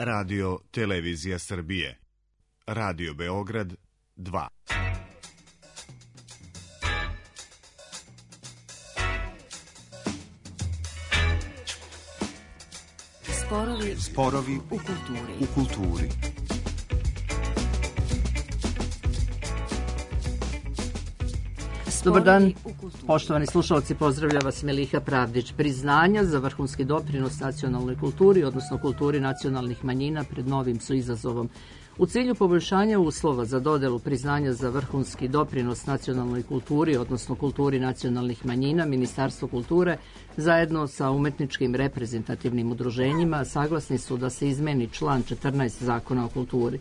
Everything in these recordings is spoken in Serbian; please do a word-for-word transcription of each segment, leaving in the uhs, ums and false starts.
Radio Televizija Srbije. Radio Beograd dva. Sporovi, Sporovi u kulturi. U kulturi. Dobar dan, poštovani slušalci, pozdravlja vas Meliha Pravdić. Priznanja za vrhunski doprinos nacionalnoj kulturi, odnosno kulturi nacionalnih manjina, pred novim su izazovom. U cilju poboljšanja uslova za dodelu priznanja za vrhunski doprinos nacionalnoj kulturi, odnosno kulturi nacionalnih manjina, Ministarstvo kulture zajedno sa umetničkim reprezentativnim udruženjima saglasni su da se izmeni član četrnaest Zakona o kulturi.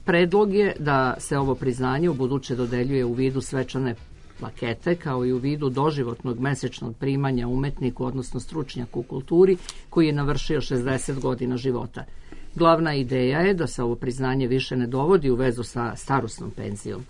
Predlog je da se ovo priznanje u buduće dodeljuje u vidu svečane plakete, kao i u vidu doživotnog mesečnog primanja umetniku, odnosno stručnjaku u kulturi, koji je navršio šezdeset godina života. Glavna ideja je da se ovo priznanje više ne dovodi u vezu sa starosnom penzijom.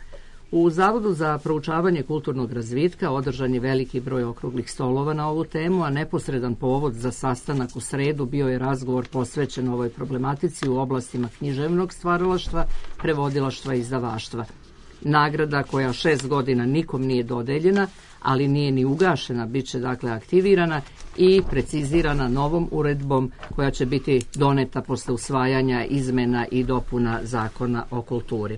U Zavodu za proučavanje kulturnog razvitka održan je veliki broj okruglih stolova na ovu temu, a neposredan povod za sastanak u sredu bio je razgovor posvećen ovoj problematici u oblastima književnog stvaralaštva, prevodilaštva i izdavaštva. Nagrada koja šest godina nikom nije dodeljena, ali nije ni ugašena, bit će dakle aktivirana i precizirana novom uredbom koja će biti doneta posle usvajanja izmena i dopuna Zakona o kulturi.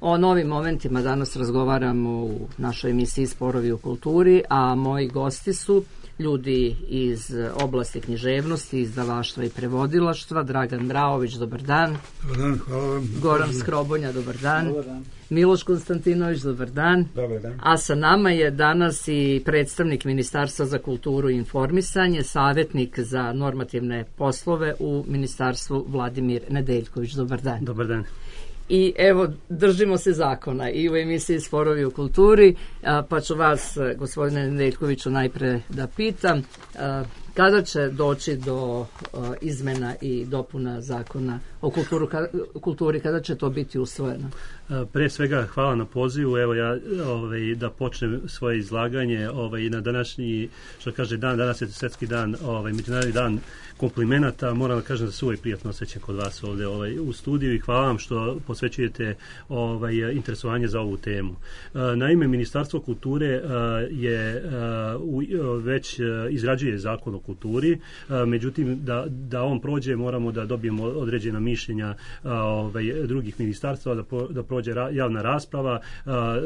O novim momentima danas razgovaramo u našoj emisiji Sporovi u kulturi, a moji gosti su ljudi iz oblasti književnosti, izdavaštva i prevodilaštva. Dragan Mraović, dobar dan. Dobar dan, hvala vam. Goran Skrobonja, dobar dan. Dobar dan. Miloš Konstantinović, dobar dan. Dobar dan. A sa nama je danas i predstavnik Ministarstva za kulturu i informisanje, savjetnik za normativne poslove u Ministarstvu, Vladimir Nedeljković. Dobar dan. Dobar dan. I evo, držimo se zakona i u emisiji Sporovi u kulturi, pa ću vas, gospodine Nedeljkoviću, najpre da pitam kada će doći do izmena i dopuna Zakona o kulturu, kulturi, kada će to biti usvojeno? Pre svega hvala na pozivu. Evo ja ovaj, da počnem svoje izlaganje ovaj, na današnji, što kaže dan, danas je svjetski dan, ovaj, međunarodni dan komplimenata. Moram da kažem da se uvijek prijatno osjećam kod vas ovdje ovaj, u studiju i hvala vam što posvećujete ovaj, interesovanje za ovu temu. Naime, Ministarstvo kulture je već izrađuje Zakon o kulturi, međutim da, da on prođe moramo da dobijemo određena mišljenja ovaj, drugih ministarstva, da, po, da prođe javna rasprava,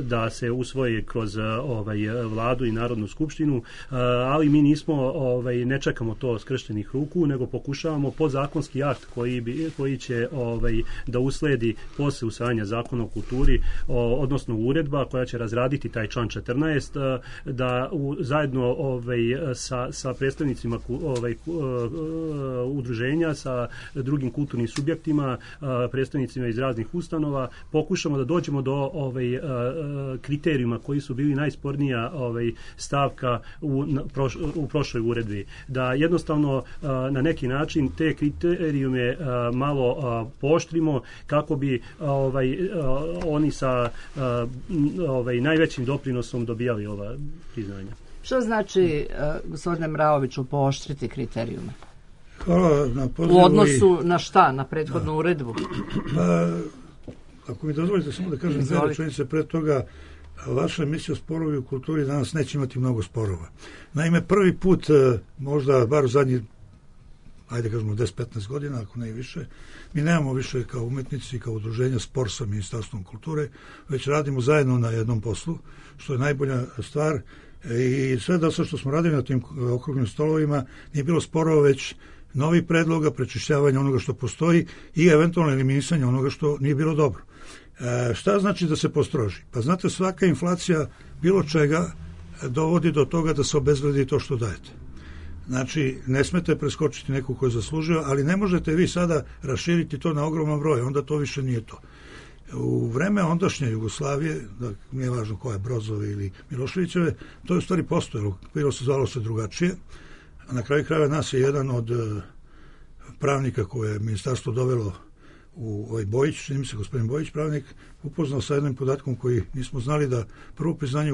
da se usvoji kroz ovaj, vladu i Narodnu skupštinu, ali mi nismo, ovaj, ne čekamo to skrštenih ruku, nego pokušavamo podzakonski akt koji, bi, koji će ovaj, da usledi posle usvajanja Zakona o kulturi, o, odnosno uredba koja će razraditi taj član četrnaest, da u, zajedno ovaj, sa, sa predstavnicima ovaj, udruženja, sa drugim kulturnim subjektima, predstavnicima iz raznih ustanova, pokušamo da dođemo do ovaj, kriterijuma koji su bili najspornija ovaj, stavka u, na, proš, u prošloj uredbi. Da jednostavno na neki način te kriterijume malo pooštrimo kako bi ovaj, oni sa ovaj, najvećim doprinosom dobijali ova priznanja. Što znači, gospodine Mraoviću, pooštriti kriterijume? Hvala na pozivu. U odnosu na šta? Na prethodnu da. uredbu? Pa, ako mi dozvolite samo da kažem dve rečenice pre toga, vaša emisija Sporovi u kulturi danas neće imati mnogo sporova. Naime, prvi put, možda bar u zadnji, ajde kažemo deset do petnaest godina, ako ne i više, mi nemamo više kao umetnici, kao udruženja spor sa Ministarstvom kulture, već radimo zajedno na jednom poslu, što je najbolja stvar. I sve da sve što smo radili na tim okruglim stolovima nije bilo sporova, već novi predloga, prečišćavanja onoga što postoji i eventualno eliminisanje onoga što nije bilo dobro. E, šta znači da se postroži? Pa znate, svaka inflacija bilo čega dovodi do toga da se obezvredi to što dajete. Znači, ne smete preskočiti nekog ko je zaslužio, ali ne možete vi sada raširiti to na ogroman broj, onda to više nije to. U vreme ondašnje Jugoslavije, da nije važno koja je Brozovi ili Miloševićeve, to je u stvari postojalo, bilo se zvalo se drugačije, a na kraju krajeva nas je jedan od pravnika koje je ministarstvo dovelo u ovaj Bojić, čini mi se gospodin Bojić, pravnik, upoznao sa jednim podatkom koji nismo znali, da prvo priznanje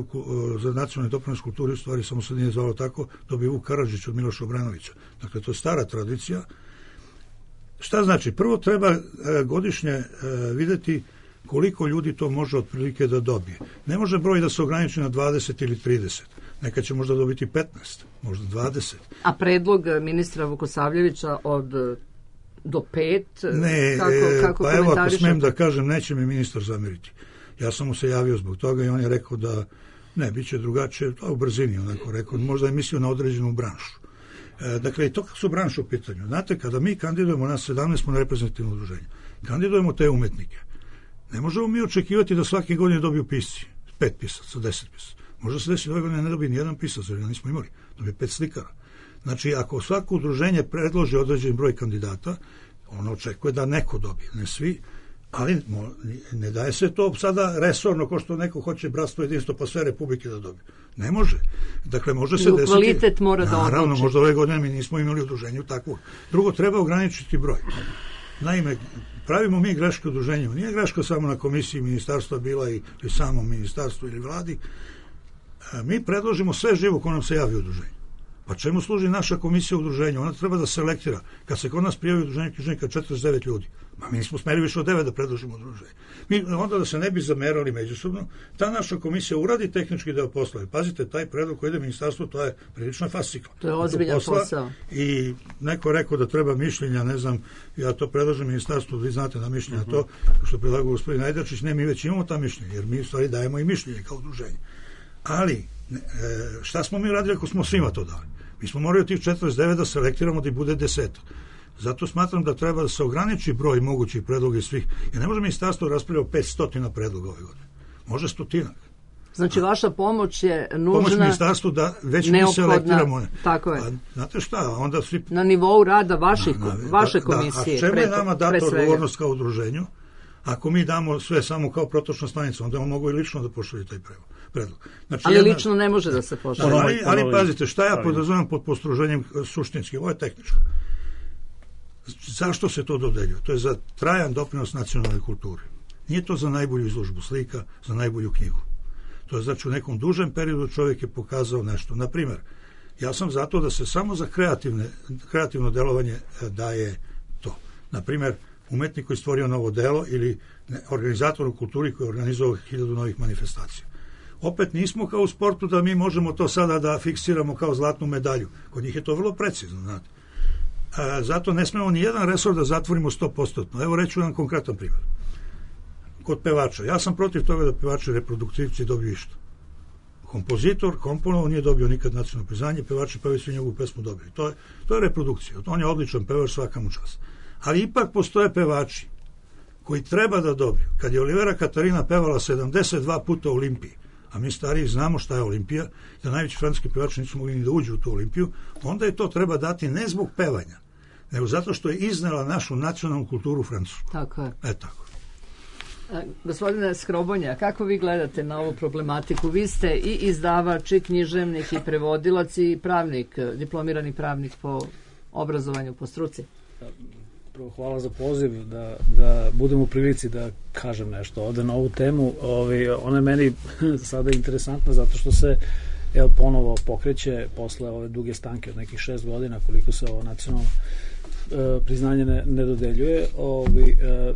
za nacionalni doprinos kulturi u stvari samo se nije zvalo tako, dobio Vuk Karadžić od Miloša Obranovića. Dakle, to je stara tradicija. Šta znači? Prvo treba e, godišnje e, videti koliko ljudi to može otprilike da dobije. Ne može broj da se ograniči na dvadeset ili trideset. Nekad će možda dobiti petnaest, možda dvadeset. A predlog ministra Vukosavljevića od do pet? Ne, kako, kako pa evo ako smem da kažem, neće mi ministar zameriti. Ja sam mu se javio zbog toga i on je rekao da ne, bit će drugačije, to u brzini onako rekao, možda je mislio na određenu branšu. E, dakle, i to kako su branše u pitanju. Znate, kada mi kandidujemo, nas sedamnaest smo na reprezentativno udruženje, kandidujemo te umetnike. Ne možemo mi očekivati da svake godine dobiju pisci, pet pisaca, deset pisaca. Možda se desi ove godine ne dobije ni jedan pisac, jer ga nismo imali, dobije pet slikara. Znači, ako svako udruženje predloži određen broj kandidata, ono očekuje da neko dobije, ne svi, ali ne daje se to sada resorno, ko što neko hoće bratstvo jedinstvo pa sve republike da dobije. Ne može. Dakle, može se desiti... kvalitet mora da odluči. Naravno, možda ove godine mi nismo imali udruženje takvog. Drugo, treba ograničiti broj. Naime, pravimo mi greške udruženjima. Nije greška samo na komisiji ministarstva bila i, i samom ministarstvu ili vladi. Mi predložimo sve živo ko nam se javi udruženje. Pa čemu služi naša komisija udruženja? Ona treba da selektira. Kad se kod nas prijavi udruženje književnika četrdeset devet ljudi, ma mi nismo smeli više od devet da predložimo udruženje. Mi onda da se ne bi zamerali međusobno, ta naša komisija uradi tehnički deo posla. I pazite, taj predlog koji ide ministarstvo, to je prilično fascikl. To je ozbiljan posao. I neko rekao da treba mišljenja, ne znam, ja to predlažem ministarstvu, vi znate na mišljenja uh-huh. to, što predlagao gospodin Ajdačić, ne, mi već imamo ta mišljenja, jer mi u stvari dajemo i mišljenje kao udruženje. Ali, šta smo mi radili ako smo svima to dali? Mi smo morali od tih četrdeset devet da selektiramo da ih bude deset. Zato smatram da treba da se ograniči broj mogućih predloga svih. Jer ne može ministarstvo raspravljati o petsto predloga ove godine. Može stotinak. Znači, vaša pomoć je nužna... Pomoć ministarstvu da već mi selektiramo. Tako je. A, znate šta, onda svi... Na nivou rada vaših, na, na, vaše komisije. Da, a čemu je nama data odgovornost kao udruženju? Ako mi damo sve samo kao protočna stanica, onda on mogu i lično da pošalje taj predlog. Znači, ali jedna, lično ne može da se pošalje. Da, ali, ali pazite, šta ja podrazumijem pod postroženjem suštinski? Ovo je tehničko. Zašto se to dodeljuje? To je za trajan doprinos nacionalnoj kulturi. Nije to za najbolju izložbu slika, za najbolju knjigu. To je znači u nekom dužem periodu čovjek je pokazao nešto. Naprimjer, ja sam zato da se samo za kreativne, kreativno delovanje daje to. Naprimjer, umetnik koji stvorio novo delo ili organizator u kulturi koji je organizovao hiljadu novih manifestacija. Opet nismo kao u sportu da mi možemo to sada da fiksiramo kao zlatnu medalju. Kod njih je to vrlo precizno, znate. A, zato ne smemo ni jedan resor da zatvorimo sto posto. Evo reću jedan konkretan primjer. Kod pevača. Ja sam protiv toga da pevači reproduktivci dobiju išto. Kompozitor, komponovao, nije dobio nikad nacionalno priznanje, pevači pevaju svi njegovu pesmu dobili. To je, to je reprodukcija. On je odličan pevač, svaka mu čast. Ali ipak postoje pevači koji treba da dobiju. Kad je Olivera Katarina pevala sedamdeset dva puta u Olimpiji, a mi stariji znamo šta je Olimpija, da najveći francuski pevači nisu mogli ni da uđu u tu Olimpiju, onda je to treba dati ne zbog pevanja, nego zato što je iznela našu nacionalnu kulturu francusku. Tako je. E tako. E, gospodine Skrobonja, kako vi gledate na ovu problematiku? Vi ste i izdavač, i književnik, i prevodilac, i pravnik, diplomirani pravnik po obrazovanju, po struci. Prvo, hvala za poziv da, da budem u prilici da kažem nešto ovde na ovu temu. Ovi, ona je meni sada interesantna zato što se evo, ponovo pokreće posle ove duge stanke od nekih šest godina koliko se ovo nacionalno e, priznanje ne, ne dodeljuje. Ovi, e,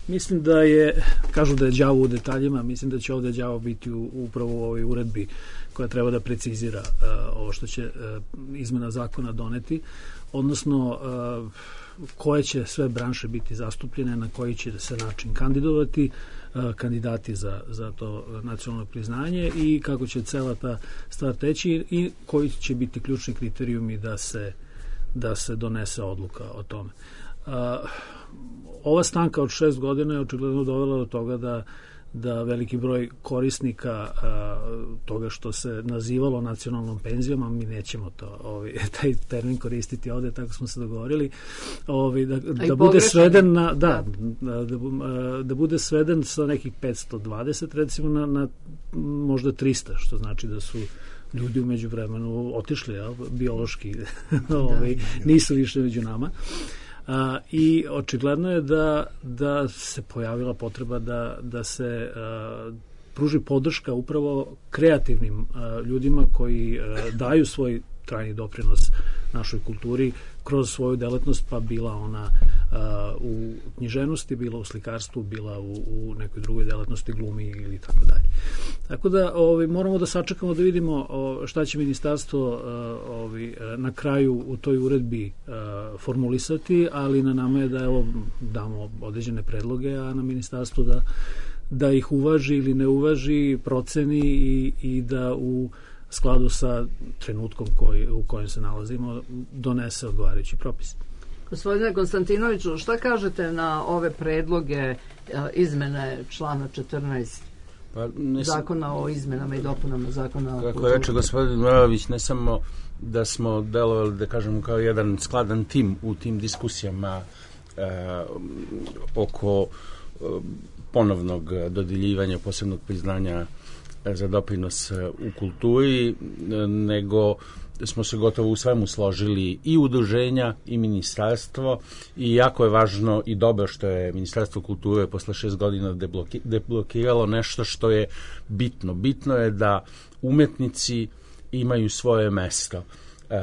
mislim da je, kažu da je đavo u detaljima, mislim da će ovde đavo biti u, upravo u ovoj uredbi koja treba da precizira e, ovo što će e, izmena zakona doneti, odnosno e, koje će sve branše biti zastupljene, na koji će se način kandidovati kandidati za, za to nacionalno priznanje i kako će cela ta stvar teći i koji će biti ključni kriterijumi da se, da se donese odluka o tome. Ova stanka od šest godina je očigledno dovela do toga da da veliki broj korisnika a, toga što se nazivalo nacionalnom penzijom, a mi nećemo to, ovaj, taj termin koristiti ovde, tako smo se dogovorili, ovaj, da, da bude sveden na, da, da, da, da bude sveden sa nekih petsto dvadeset recimo na, na možda trista, što znači da su ljudi umeđu vremenu otišli, ja, biološki ovaj, nisu više među nama. Uh, i očigledno je da, da se pojavila potreba da, da se uh, pruži podrška upravo kreativnim uh, ljudima koji uh, daju svoj trajni doprinos našoj kulturi kroz svoju delatnost, pa bila ona u književnosti, bila u slikarstvu, bila u, u nekoj drugoj delatnosti, glumi ili tako dalje. Tako da ovi, moramo da sačekamo da vidimo o, šta će ministarstvo ovi, na kraju u toj uredbi formulisati, ali na nama je da evo, damo određene predloge, a na ministarstvu da, da ih uvaži ili ne uvaži, proceni i, i da u skladu sa trenutkom koji, u kojem se nalazimo donese odgovarajući propis. Gospodine Konstantinoviću, šta kažete na ove predloge izmene člana četrnaest pa, zakona o izmenama i dopunama zakona o kulturi? Kako reče gospodin Morović, ne samo da smo delovali, da kažemo, kao jedan skladan tim u tim diskusijama e, oko e, ponovnog dodeljivanja posebnog priznanja za doprinos u kulturi, nego smo se gotovo u svemu složili i udruženja i ministarstvo, i jako je važno i dobro što je Ministarstvo kulture posle šest godina debloki, deblokiralo nešto što je bitno. Bitno je da umetnici imaju svoje mesto uh,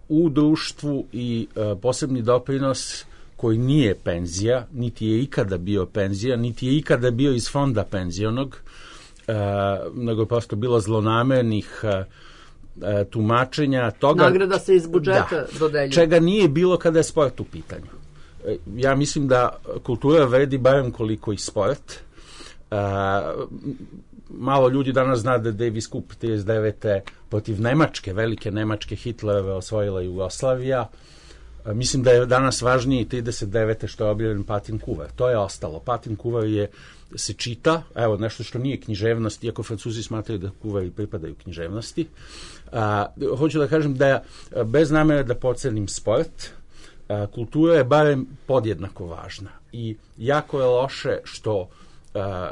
u društvu i uh, posebni doprinos koji nije penzija, niti je ikada bio penzija, niti je ikada bio iz fonda penzionog, uh, nego je prosto bilo zlonamernih uh, tumačenja toga. Nagrada se iz budžeta da, dodeljuje. Čega nije bilo kada je sport u pitanju. Ja mislim da kultura vredi barem koliko i sport. Uh, malo ljudi danas zna da Davis Cup trideset devete protiv Nemačke, velike Nemačke, Hitlerove osvojila Jugoslavija. Uh, mislim da je danas važnije trideset devete što je objavljen Patin kuvar. To je ostalo. Patin kuvar je se čita, evo nešto što nije književnost, iako Francuzi smatraju da kuvari pripadaju književnosti. A, hoću da kažem da bez namere da pocenim sport, a, kultura je barem podjednako važna i jako je loše što a,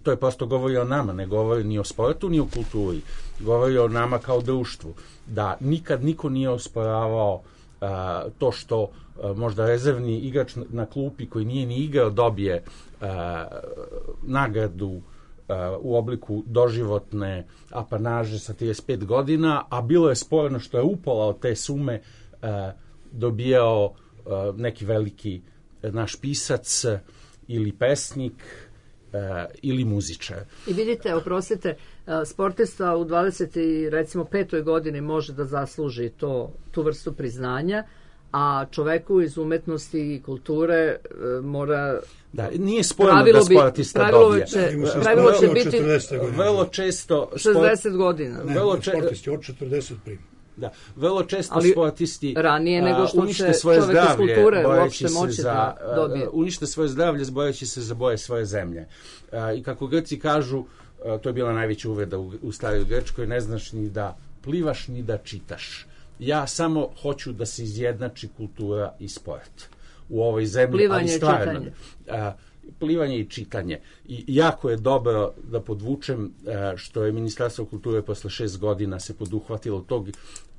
to je prosto govori o nama, ne govori ni o sportu ni o kulturi, govori o nama kao društvu, da nikad niko nije osporavao a, to što a, možda rezervni igrač na, na klupi koji nije ni igrao dobije a, nagradu u obliku doživotne apanaže sa trideset pet godina, a bilo je sporno što je upola od te sume uh, dobijao uh, neki veliki naš pisac ili pesnik uh, ili muzičar. I vidite, oprostite, sportista u dvadeset petoj godini može da zasluži to, tu vrstu priznanja, a čoveku iz umetnosti i kulture e, mora... Da, nije spojeno da sportista dobije. Će, pravilo će biti vrlo često... šezdeset godina. Ne, vrlo če... sportisti od četrdeset prima. Da, vrlo često ali sportisti ranije nego što unište svoje zdravlje, kulture uopšte moći za, da dobije. Unište svoje zdravlje bojeći se za boje svoje zemlje. A, I kako Grci kažu, a, to je bila najveća uvreda u, u staroj Grčkoj, ne znaš ni da plivaš ni da čitaš. Ja samo hoću da se izjednači kultura i sport u ovoj zemlji, plivanje ali stvarno. I a, plivanje i čitanje. I jako je dobro da podvučem a, što je Ministarstvo kulture posle šest godina se poduhvatilo tog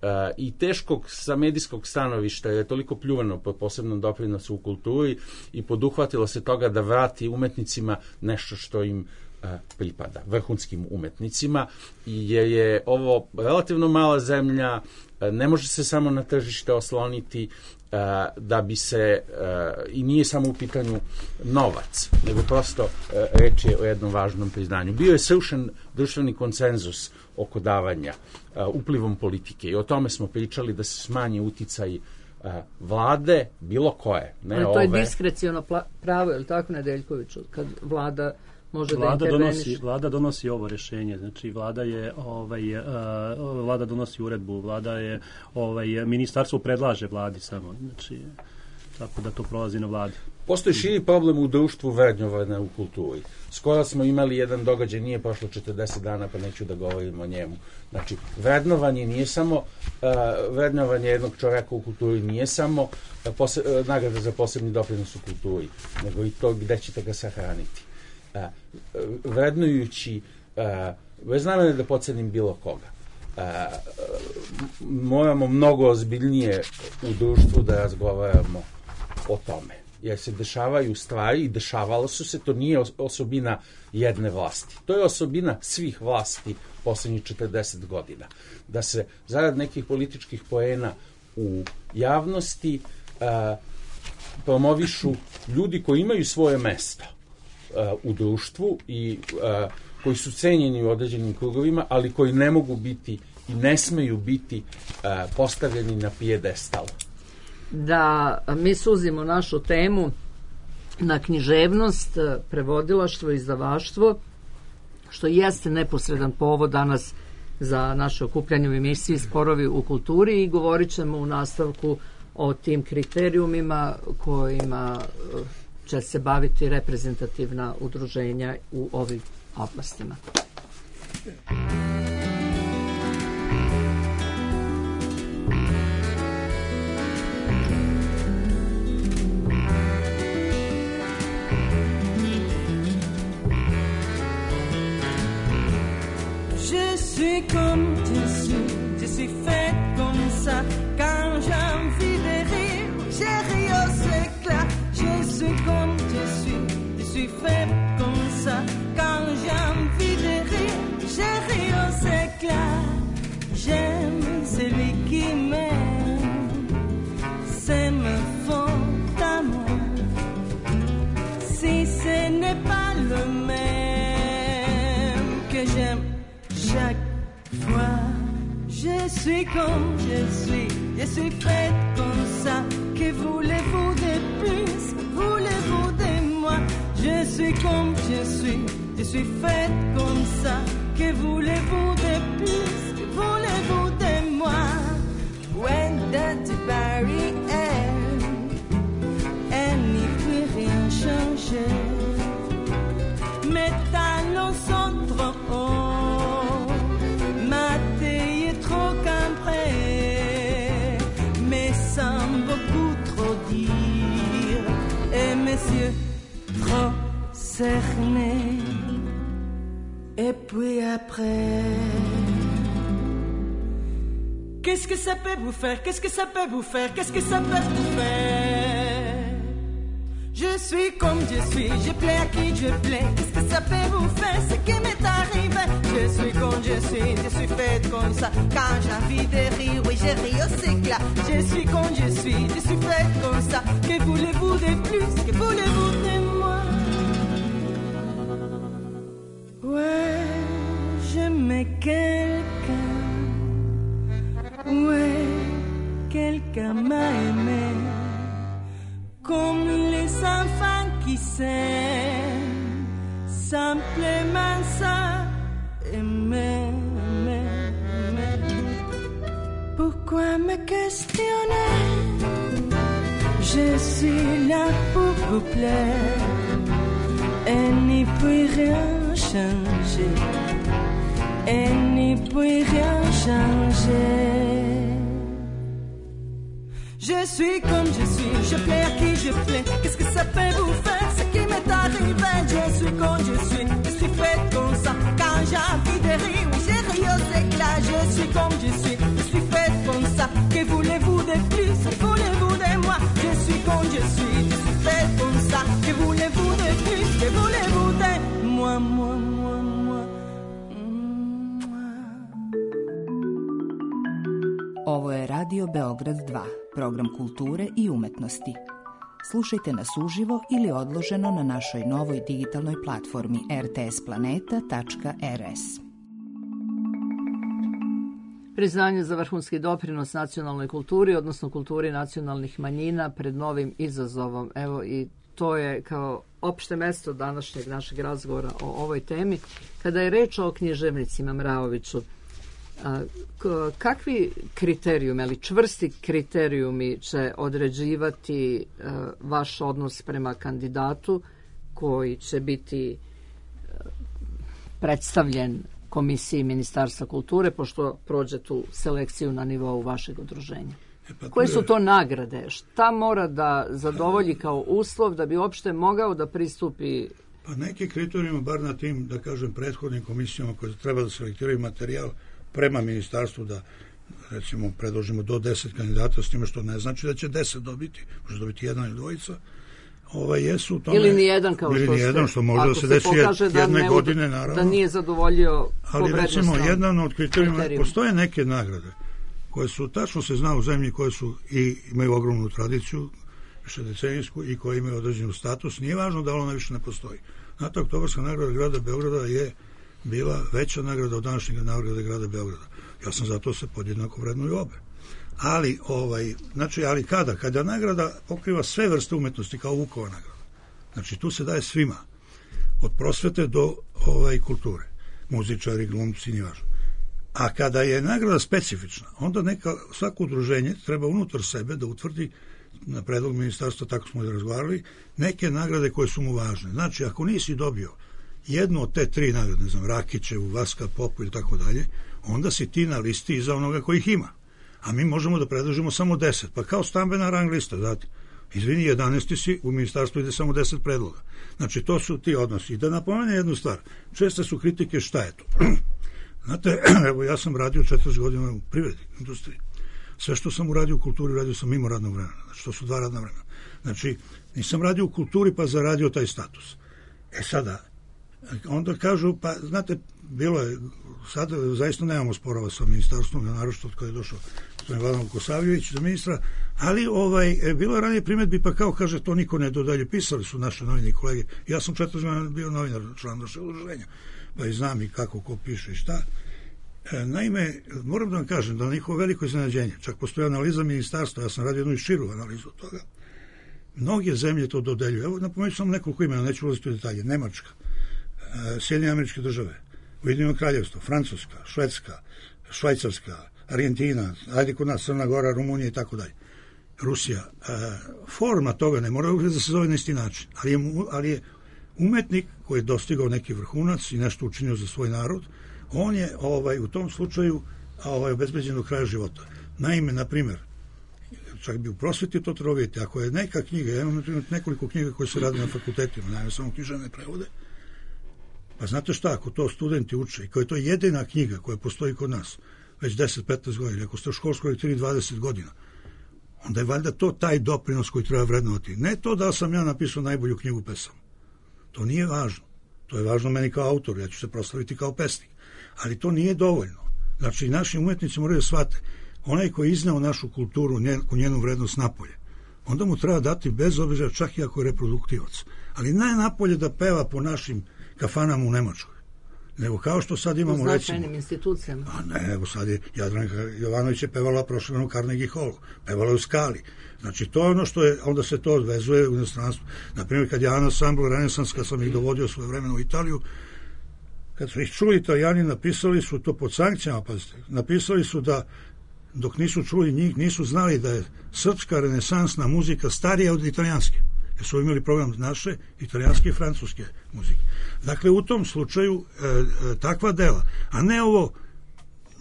a, i teškog sa medijskog stanovišta je toliko pljuvano po posebnom doprinosu u kulturi i poduhvatilo se toga da vrati umetnicima nešto što im pripada, vrhunskim umetnicima, jer je ovo relativno mala zemlja, ne može se samo na tržište osloniti da bi se, i nije samo u pitanju novac, nego prosto reč je o jednom važnom priznanju. Bio je srušen društveni konsenzus oko davanja uplivom politike i o tome smo pričali da se smanji uticaj vlade, bilo koje. Ne ali to ove. Je diskreciono pravo, je li tako, Nedeljkoviću, kad vlada može vlada da interveniš. Donosi, vlada donosi ovo rješenje, znači vlada je ovaj uh, vlada donosi uredbu, vlada je ovaj ministarstvo predlaže vladi samo, znači tako da to prolazi na vladi. Postoji širi problem u društvu vrednovanja u kulturi. Skoro smo imali jedan događaj, nije prošlo četrdeset dana, pa neću da govorim o njemu. Znači, vrednovanje nije samo uh, vrednovanje jednog čovjeka u kulturi nije samo uh, pose, uh, nagrada za posebni doprinos u kulturi, nego i to gde ćete ga sahraniti. Uh, vrednujući uh, bez namere da pocenim bilo koga. Uh, moramo mnogo ozbiljnije u društvu da razgovaramo o tome. Jer se dešavaju stvari i dešavalo su se, to nije osobina jedne vlasti. To je osobina svih vlasti poslednjih četrdeset godina. Da se zarad nekih političkih poena u javnosti uh, promovišu ljudi koji imaju svoje mesto u društvu i koji su cenjeni u određenim krugovima, ali koji ne mogu biti i ne smeju biti postavljeni na pijedestal. Da mi suzimo našu temu na književnost, prevodilaštvo, izdavaštvo, što jeste neposredan povod danas za naše okupljanje u emisiji Sporovi u kulturi, i govorit ćemo u nastavku o tim kriterijumima kojima će se baviti reprezentativna udruženja u ovim oblastima. Je suis comme je suis, je suis faite comme ça. Quand j'ai envie de rire, j'ai ri aux éclats. Je suis comme je suis, je suis faite comme ça. Quand j'ai envie de rire, j'ai ri aux éclats. J'aime celui qui m'aime, c'est me fond à moi. Si ce n'est pas le même que j'aime chaque fois, je suis comme je suis, je suis faite comme ça. Que voulez-vous de plus, voulez-vous de moi? Je suis comme je suis, je suis faite comme ça. Que voulez-vous de plus, que voulez-vous de moi? When that barrière, elle n'y peut rien changer. Mes talons sont trop hauts, ma taille est trop cambrée, mais sans beaucoup trop dire, et mes yeux trop cernés. Et puis après, qu'est-ce que ça peut vous faire? Qu'est-ce que ça peut vous faire? Qu'est-ce que ça peut vous faire? Je suis comme je suis, je plais à qui je plais. Qu'est-ce que ça peut vous faire? Ce qui m'est arrivé. Je suis comme je suis, je suis faite comme ça. Quand j'ai envie de rire, oui, je ris aux éclats. Je suis comme je suis, je suis faite comme ça. Que voulez-vous de plus? Que voulez-vous de moi? Ouais, j'aimais quelqu'un. Ouais, quelqu'un m'a aimé. Comme les enfants qui s'aiment, simplement ça, aimer, aimer, aimer. Pourquoi me questionner? Je suis là pour vous plaire, et n'y peut rien changer, et n'y peut rien changer. Je suis comme je suis, je plais à qui je plais. Qu'est-ce que ça peut vous faire? Ce qui m'est arrivé. Je suis comme je suis, je suis faite comme ça. Quand j'ai envie de rire, oui, j'ai ri aux éclats. Je suis comme je suis, je suis faite comme ça. Que voulez-vous de plus? Que voulez-vous de moi? Je suis comme je suis, je suis faite comme ça. Que voulez-vous de plus? Que voulez-vous de moi, moi, moi, moi, moi. Ovo je Radio Beograd dva, program kulture i umetnosti. Slušajte nas uživo ili odloženo na našoj novoj digitalnoj platformi er te es planeta tačka er es. Priznanje za vrhunski doprinos nacionalnoj kulturi, odnosno kulturi nacionalnih manjina pred novim izazovom. Evo, i to je kao opšte mesto današnjeg našeg razgovora o ovoj temi. Kada je reč o književnicima, Mraoviću, kakvi kriterijumi, ali čvrsti kriterijumi će određivati vaš odnos prema kandidatu koji će biti predstavljen Komisiji Ministarstva kulture, pošto prođe tu selekciju na nivou vašeg udruženja? E pa Koje su to nagrade? Šta mora da zadovolji kao uslov da bi uopšte mogao da pristupi? Pa neki kriterijumi, bar na tim, da kažem, prethodnim komisijama koje treba da selektiraju materijal prema ministarstvu, da recimo predložimo do deset kandidata, s time što ne znači da će deset dobiti, može dobiti jedan ili dvojica, ovaj, jesu u tome, ili nijedan, kao ili što, nijedan, što može da se desi jedne da godine, naravno. Da nije zadovoljio ali recimo, jedan od kriterijuma, postoje neke nagrade koje su, tačno se zna u zemlji, koje su i imaju ogromnu tradiciju višedecenijsku i koja imaju određenu status. Nije važno da ona više ne postoji. Znate, Oktobarska nagrada grada Beograda je bila veća nagrada od današnjeg nagrade grada Beograda. Ja sam zato se podjednako vrednuju obe. Ali, ovaj, znači, ali kada? Kada nagrada pokriva sve vrste umetnosti kao Vukova nagrada. Znači, tu se daje svima. Od prosvete do ovaj, kulture. Muzičari, glumci, nije važno. A kada je nagrada specifična, onda neka, svako udruženje treba unutar sebe da utvrdi na predlog ministarstva, tako smo i razgovarali, neke nagrade koje su mu važne. Znači, ako nisi dobio jednu od te tri nagrade, ne znam, Rakićevu, Vaska Popu ili tako dalje, onda si ti na listi iza onoga kojih ima. A mi možemo da predložimo samo deset. Pa kao stambena rang lista, znate. Izvini, jedanaesti si, u ministarstvu ide samo deset predloga. Znači, to su ti odnosi. I da napomenem jednu stvar. Česte su kritike šta je to. Znate, evo, ja sam radio četrdeset godina u privredi, industriji. Sve što sam uradio u kulturi, radio sam mimo radnog vremena. Znači, to su dva radna vremena. Znači, nisam radio u kulturi pa zaradio taj status. E sada, onda kažu, pa, znate, bilo je, sad zaista nemamo sporova sa ministarstvom, naročito od kada je došao gospodin Vladan Vukosavljević za ministra, ali ovaj, bilo je ranije primedbi, pa kao kaže, to niko ne dodalje. Pisali su naše novine i kolege. Ja sam četrdeset godina bio novinar, član našeg udruženja, pa i znam i kako, ko piše i šta. E, naime, moram da vam kažem da na njihovo veliko iznenađenje, čak postoji analiza ministarstva, ja sam radio jednu i širu analizu od toga, mnoge zemlje to dodeljuju. Evo, napomenuću samo nekoliko imena, neću ulaziti u detalje. Nemačka, e, Sjedinjene Američke Države, Ujedinjeno Kraljevstvo, Francuska, Švedska, Švajcarska, Argentina, ajde kod nas Crna Gora, Rumunija i tako dalje. Rusija. E, forma toga ne mora uvijek da se zove na isti način, ali je, ali je umetnik koji je dostigao neki vrhunac i nešto učinio za svoj narod, on je ovaj, u tom slučaju ovaj, obezbeđen do kraja života. Naime, na primjer, čak bi u prosveti to treba vidjeti, ako je neka knjiga, ja imam na primjer nekoliko knjiga koje se rade na fakultetima, naime samo književne prevode, pa znate šta, ako to studenti uče i koja je to jedina knjiga koja postoji kod nas već deset do petnaest godina, ako ste u školskoj tri do dvadeset godina, onda je valjda to taj doprinos koji treba vrednovati. Ne to da sam ja napisao najbolju knjigu pesama. To nije važno. To je važno meni kao autor, ja ću se proslaviti kao pesnik. Ali to nije dovoljno. Znači, naši umetnici moraju da shvate, onaj koji je izneo našu kulturu, njenu, njenu vrednost napolje, onda mu treba dati bez obzira, čak i ako je reproduktivac. Ali ne napolje da peva po našim kafanama u Nemačkoj. Nego kao što sad imamo, u značajnim recimo, institucijama. A ne, evo sad je Jadranka Jovanović je pevala prošle u Carnegie Hallu, pevala je u Skali. Znači, to je ono što je, onda se to odvezuje u inostranstvu. Naprimjer, kad je Ansambl Renesans, kad sam ih dovodio svoje vremena u Italiju, kad su ih čuli Italijani, napisali su to pod sankcijama, pazite, napisali su da dok nisu čuli njih, nisu znali da je srpska renesansna muzika starija od italijanske. Jer su imali program naše, italijanske i francuske muzike. Dakle, u tom slučaju e, e, takva dela, a ne ovo,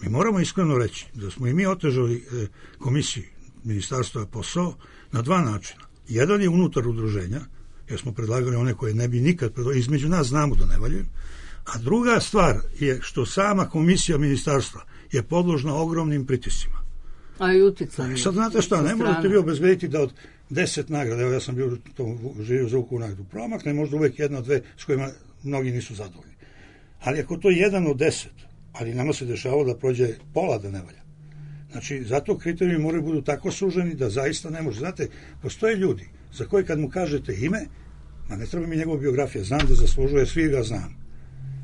mi moramo iskreno reći da smo i mi otežali e, komisiji ministarstva posao na dva načina. Jedan je unutar udruženja, jer smo predlagali one koje ne bi nikad predlagali, između nas znamo da ne valjaju, a druga stvar je što sama komisija ministarstva je podložna ogromnim pritiscima. A i uticanje. Sad znate šta, ne možete vi obezbediti da od deset nagrada, evo ja sam bio to, živio za Vukovu nagradu, promakne možda uvek jedna, dve s kojima mnogi nisu zadovoljni. Ali ako to je jedan od deset, ali nama se dešavalo da prođe pola da ne valja. Znači, zato kriterijumi moraju budu tako suženi da zaista ne može. Znate, postoje ljudi za koje kad mu kažete ime, ma ne treba mi njegova biografija, znam da zaslužuje, svi ga znam.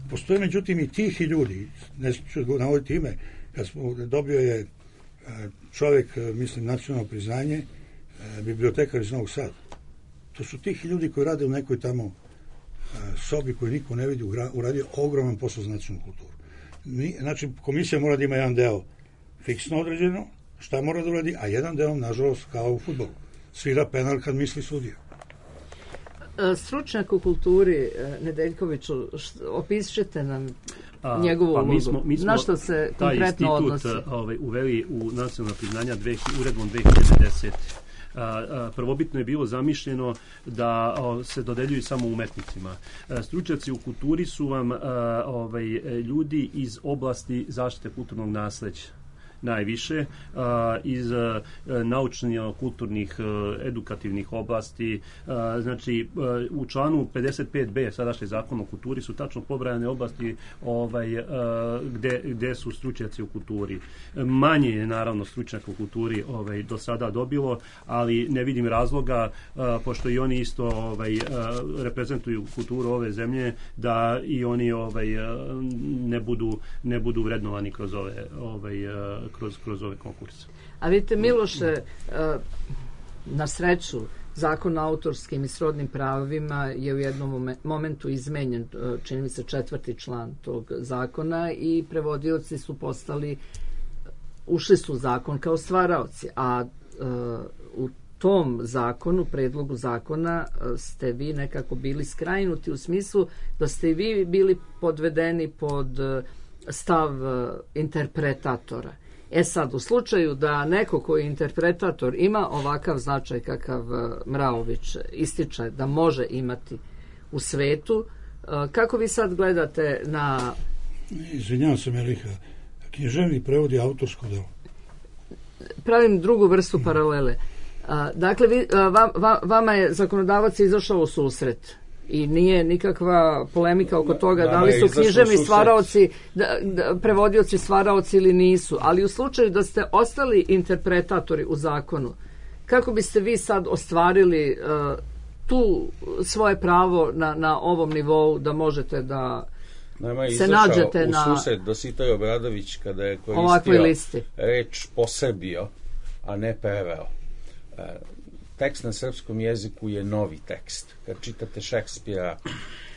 Postoje međutim i tihi ljudi, neću navoditi ime, kad smo, dobio je čovjek, mislim, nacionalno priznanje, bibliotekar iz Novog Sada. To su tihi ljudi koji rade u nekoj tamo sobi koju niko ne vidi, uradio ogroman posao za nacionalnu kulturu. Znači, komisija mora da ima jedan deo fiksno određeno, šta mora da uradi, a jedan deo, nažalost, kao u fudbalu. Svira penal kad misli sudija. Stručnjak u kulturi, Nedeljkoviću, opišete nam njegovu pa ulogu. Mi smo, mi smo na što se konkretno odnosi? Taj institut ovaj, uveli u nacionalna priznanja dve, uredbom dve hiljade desete. Prvobitno je bilo zamišljeno da o, se dodeljuju samo umetnicima. Stručnjaci u kulturi su vam ovaj, ljudi iz oblasti zaštite kulturnog nasleđa. najviše iz naučno-kulturnih, edukativnih oblasti. Znači, u članu pedeset pet be sadašnji zakon o kulturi su tačno pobrajane oblasti ovaj, gde, gde su stručnjaci u kulturi. Manje je naravno stručnjaka u kulturi ovaj, do sada dobilo, ali ne vidim razloga, pošto i oni isto ovaj, reprezentuju kulturu ove zemlje, da i oni ovaj, ne budu, ne budu vrednovani kroz ove, ovaj, kroz, kroz ove konkurse. A vidite, Miloše, na sreću, Zakon o autorskim i srodnim pravima je u jednom momentu izmenjen, čini mi se četvrti član tog zakona, i prevodioci su postali, ušli su u zakon kao stvaraoci, a u tom zakonu, predlogu zakona, ste vi nekako bili skrajnuti u smislu da ste i vi bili podvedeni pod stav interpretatora. E sad, u slučaju da neko koji je interpretator ima ovakav značaj kakav Mraović ističe da može imati u svetu, kako vi sad gledate na... Izvinjavam se, Meliha, književnik prevodi autorsko delo. Pravim drugu vrstu paralele. Dakle, vi, va, vama je zakonodavac izašao u susret i nije nikakva polemika oko toga da, da li su književni stvaraoci, da, da, prevodioci stvaraoci ili nisu, ali u slučaju da ste ostali interpretatori u zakonu, kako biste vi sad ostvarili uh, tu svoje pravo na, na ovom nivou da možete da Nama se nađete na... u susret Dositej Obradović kada je koristio reč posebio, a ne preveo. Uh, tekst na srpskom jeziku je novi tekst. Kad čitate Šekspira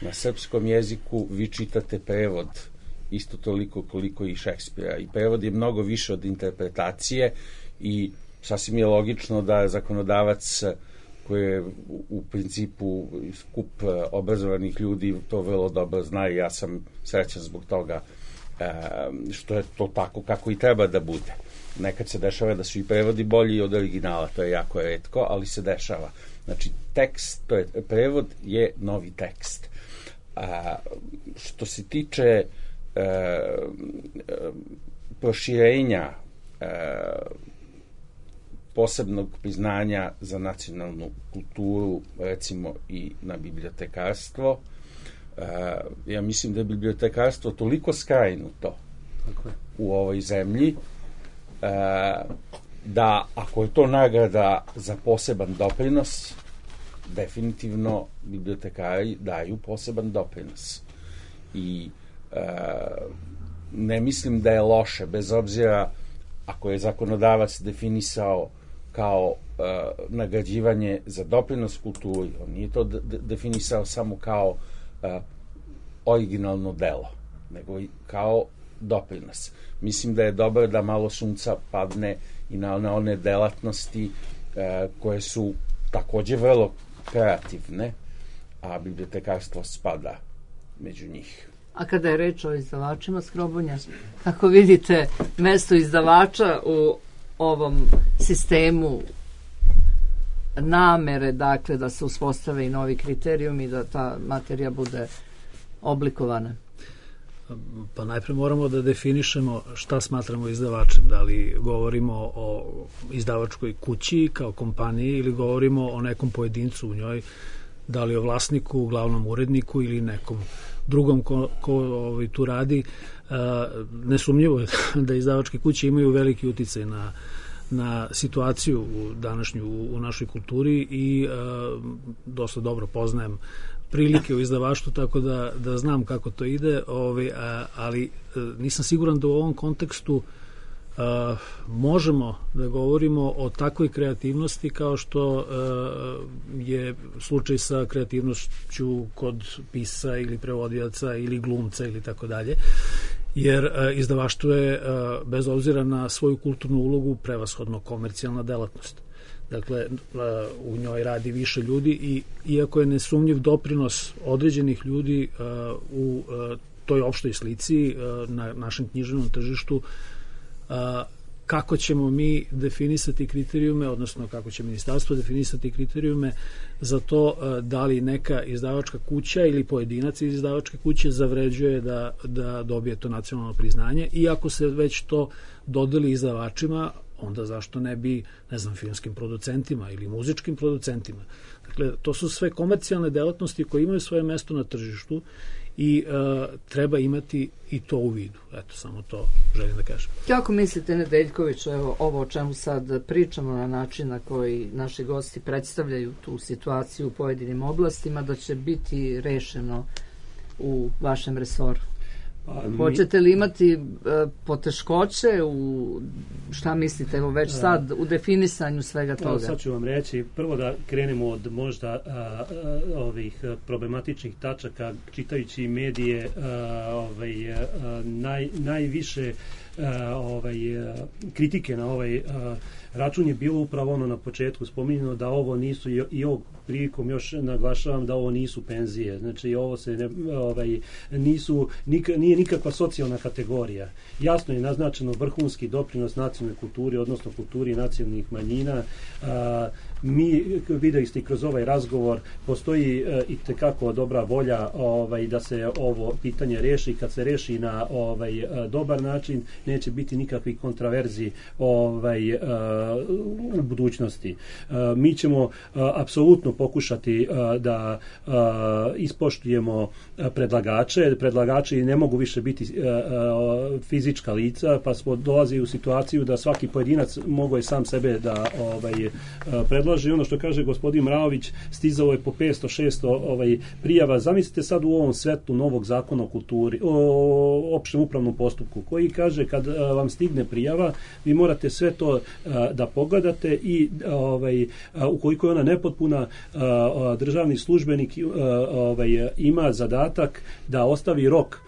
na srpskom jeziku, vi čitate prevod isto toliko koliko i Šekspira. I prevod je mnogo više od interpretacije i sasvim je logično da zakonodavac koji je u principu skup obrazovanih ljudi to vrlo dobro zna i ja sam srećan zbog toga što je to tako kako i treba da bude. Nekad se dešava da su i prevodi bolji od originala, to je jako retko, ali se dešava. Znači, tekst, to je, prevod je novi tekst. A, što se tiče e, e, proširenja e, posebnog priznanja za nacionalnu kulturu, recimo i na bibliotekarstvo, e, ja mislim da je bibliotekarstvo toliko skrajnuto u ovoj zemlji, da ako je to nagrada za poseban doprinos, definitivno bibliotekari daju poseban doprinos. I e, ne mislim da je loše, bez obzira ako je zakonodavac definisao kao e, nagrađivanje za doprinos kulturi, on nije to de- definisao samo kao e, originalno delo, nego i kao doprinos. Mislim da je dobro da malo sunca padne i na, na one delatnosti e, koje su takođe vrlo kreativne, a bibliotekarstvo spada među njih. A kada je reč o izdavačima, Skrobunja, kako vidite mesto izdavača u ovom sistemu namere, dakle, da se uspostave i novi kriterijumi i da ta materija bude oblikovana? Pa najpre moramo da definišemo šta smatramo izdavačem, da li govorimo o izdavačkoj kući kao kompaniji ili govorimo o nekom pojedincu u njoj, da li o vlasniku, glavnom uredniku ili nekom drugom ko, ko ovaj, tu radi. E, nesumnjivo je da izdavačke kuće imaju veliki uticaj na, na situaciju u današnju u, u našoj kulturi i e, dosta dobro poznajem prilike u izdavaštvu, tako da, da znam kako to ide, ovaj, a, ali nisam siguran da u ovom kontekstu a, možemo da govorimo o takvoj kreativnosti kao što a, je slučaj sa kreativnošću kod pisa ili prevodioca ili glumca ili tako dalje, jer a, izdavaštvo je, a, bez obzira na svoju kulturnu ulogu, prevashodno komercijalna delatnost. Dakle, u njoj radi više ljudi i iako je nesumnjiv doprinos određenih ljudi u toj opštoj slici na našem književnom tržištu, kako ćemo mi definisati kriterijume, odnosno kako će ministarstvo definisati kriterijume za to da li neka izdavačka kuća ili pojedinac iz izdavačke kuće zavređuje da, da dobije to nacionalno priznanje, i ako se već to dodeli izdavačima, onda zašto ne bi, ne znam, filmskim producentima ili muzičkim producentima. Dakle, to su sve komercijalne delatnosti koje imaju svoje mesto na tržištu i uh, treba imati i to u vidu. Eto, samo to želim da kažem. Kako mislite, Nedeljković, evo, ovo o čemu sad pričamo na način na koji naši gosti predstavljaju tu situaciju u pojedinim oblastima, da će biti rešeno u vašem resoru? Pa, mi... Hoćete li imati uh, poteškoće u, šta mislite, evo već sad, u definisanju svega toga? Sad ću vam reći, prvo da krenemo od možda a, a, ovih problematičnih tačaka, čitajući medije, a, ovaj, a, naj, najviše a, ovaj, a, kritike na ovaj a, račun je bilo upravo ono na početku spominjeno da ovo nisu, i, i ovog prilikom još naglašavam da ovo nisu penzije, znači ovo se ne, ovaj, nisu, nik, nije nikakva socijalna kategorija. Jasno je naznačeno vrhunski doprinos nacionalnoj kulturi, odnosno kulturi nacionalnih manjina. A, mi, videli ste i kroz ovaj razgovor, postoji e, i tekako dobra volja ovaj, da se ovo pitanje reši. Kad se reši na ovaj, dobar način, neće biti nikakvih kontraverzi ovaj, u budućnosti. Mi ćemo apsolutno pokušati da ispoštujemo predlagače. Predlagači ne mogu više biti fizička lica, pa smo dolazili u situaciju da svaki pojedinac mogu je sam sebe da ovaj, predlaže. Ono što kaže gospodin Mraović, stizalo je po petsto šesto ovaj, prijava. Zamislite sad u ovom svetu novog zakona o kulturi, o opštem upravnom postupku, koji kaže kad a, vam stigne prijava, vi morate sve to a, da pogledate i ovaj, a, ukoliko je ona nepotpuna, a, a, državni službenik a, ovaj, ima zadatak da ostavi rok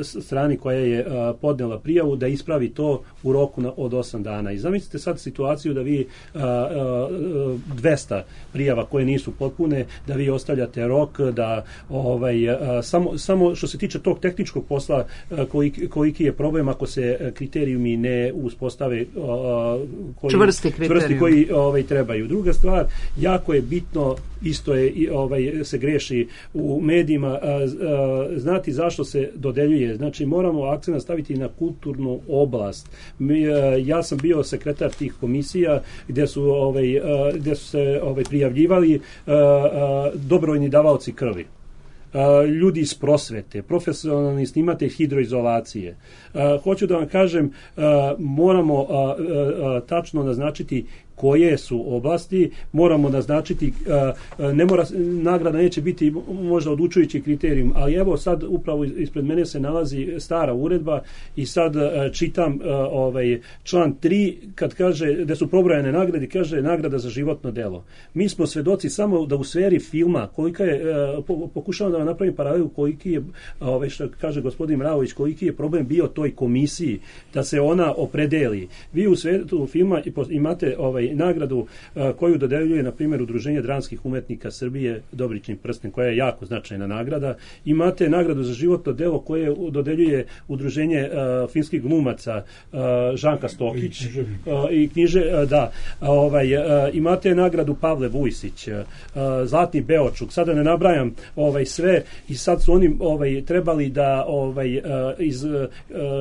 strani koja je uh, podnela prijavu da ispravi to u roku na, od osam dana. I zamislite sad situaciju da vi uh, uh, dvesta prijava koje nisu potpune, da vi ostavljate rok, da ovaj, uh, samo, samo što se tiče tog tehničkog posla, uh, koliki, koliki je problem ako se kriterijumi ne uspostave uh, koji, čvrsti, čvrsti koji ovaj, trebaju. Druga stvar, jako je bitno, isto je ovaj, se greši u medijima, uh, uh, znati zašto se do dodeljuje. Znači, moramo akcent staviti na kulturnu oblast. Mi, ja sam bio sekretar tih komisija gdje su, ovaj, gdje su se ovaj, prijavljivali dobrovoljni davaoci krvi. Ljudi iz prosvete, profesionalni snimatelj hidroizolacije. Hoću da vam kažem, moramo tačno naznačiti koje su oblasti, moramo naznačiti, ne mora, nagrada neće biti možda odlučujući kriterijum, ali evo sad upravo ispred mene se nalazi stara uredba i sad čitam ovaj član tri kad kaže, gde su pobrojane nagrade, kaže nagrada za životno delo. Mi smo svedoci samo da u sferi filma, kolika je, pokušavam da vam napravim paralelu koliki je, ovaj, što kaže gospodin Mraović, koliki je problem bio toj komisiji, da se ona opredeli. Vi u svetu filma imate ovaj nagradu uh, koju dodeljuje, na primjer, Udruženje dramskih umetnika Srbije, Dobrični prsten, koja je jako značajna nagrada. Imate nagradu za životno delo koje dodeljuje Udruženje uh, finskih glumaca uh, Žanka Stokić i, uh, i knjiže, uh, da. Ovaj, uh, imate nagradu Pavle Vujsić, uh, Zlatni Beočuk, sada ne nabrajam ovaj, sve i sad su oni ovaj, trebali da ovaj, uh, iz, uh,